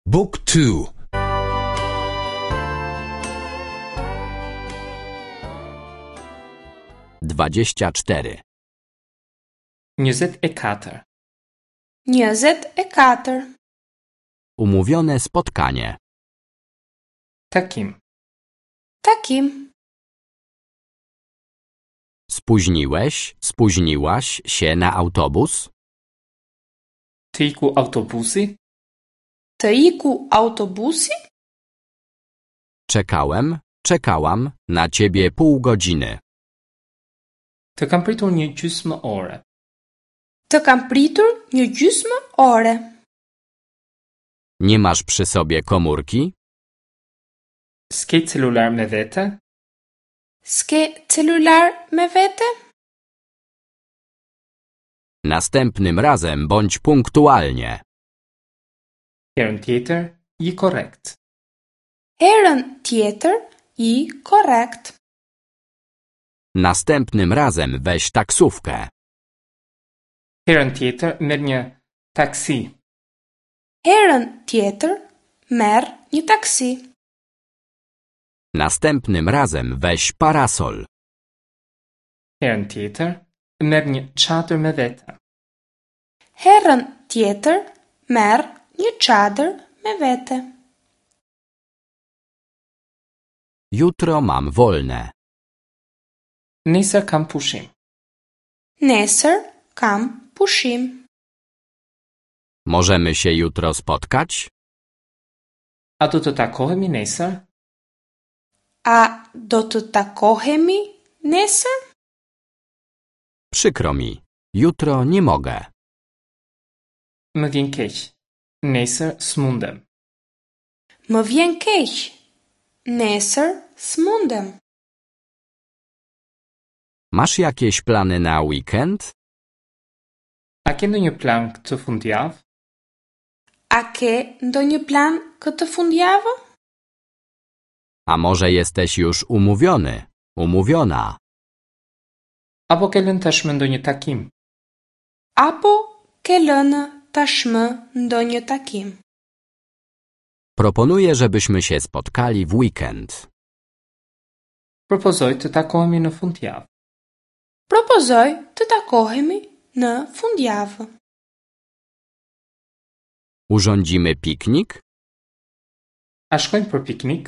Book 2 24. 24. 24. Umówione spotkanie. Takim. Takim. Spóźniłeś, spóźniłaś się na autobus? Të iku autobusi? Të iku autobusi? Czekałem, czekałam na ciebie pół godziny. Të kam pritur një gjysmë ore. Të kam pritur një gjysmë ore. Nie masz przy sobie komórki? S'ke celular me vete? S'ke celular me vete? Następnym razem bądź punktualnie. Herën tjetër, ji korrekt. Herën tjetër ji korrekt. Następnym razem weź taksówkę. Herën tjetër merr një taksi. Herën tjetër merr një taksi. Następnym razem weź parasol. Herën tjetër merr një çadër me vete. Herën tjetër merr një çadër me vete. Jutro mam wolne. Nesër kam pushim. Nesër kam pushim. Możemy się jutro spotkać? A do të takohemi nesër? A do të takohemi nesër? Przykro mi, jutro nie mogę. Më vjen keq. Nesër s'mundem. Më vjen keq. Nesër s'mundem. Masz jakieś plany na weekend? A ke ndonjë plan këtë fundjavë? A ke ndonjë plan këtë fundjavë? A może jesteś już umówiony, umówiona? Apo ke lënë tashmë ndonjë takim? Apo ke lënë tashmë ndonjë takim? Proponuję, żebyśmy się spotkali w weekend. Propozoj të takohemi në fundjavë. Propozoj të takohemi në fundjavë. Urządzimy piknik? A shkojmë për piknik?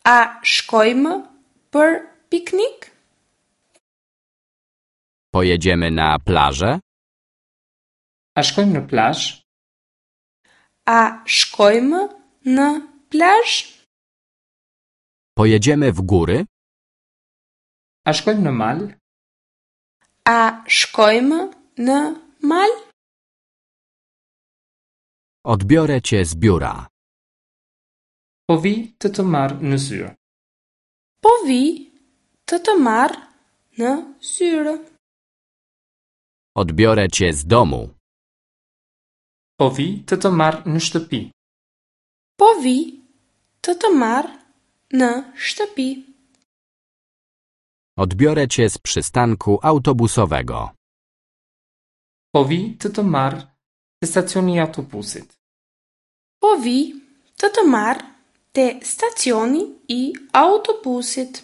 A shkojmë për piknik? Pojedziemy na plażę? A shkojmë në plazh? A shkojmë në plazh? Pojedziemy w góry? A shkojmë në mal? A shkojmë në mal? Odbiorę cię z biura. Po vi të të marr në zyrë. Po vi të të marr në zyrë. Odbiorę cię z domu. Po vi të të marr në shtëpi. Po vi të të marr në shtëpi. Odbiorę cię z przystanku autobusowego. Po vi të të marr te stacioni i autobusit. Po vi të të marr te stacioni i autobusit.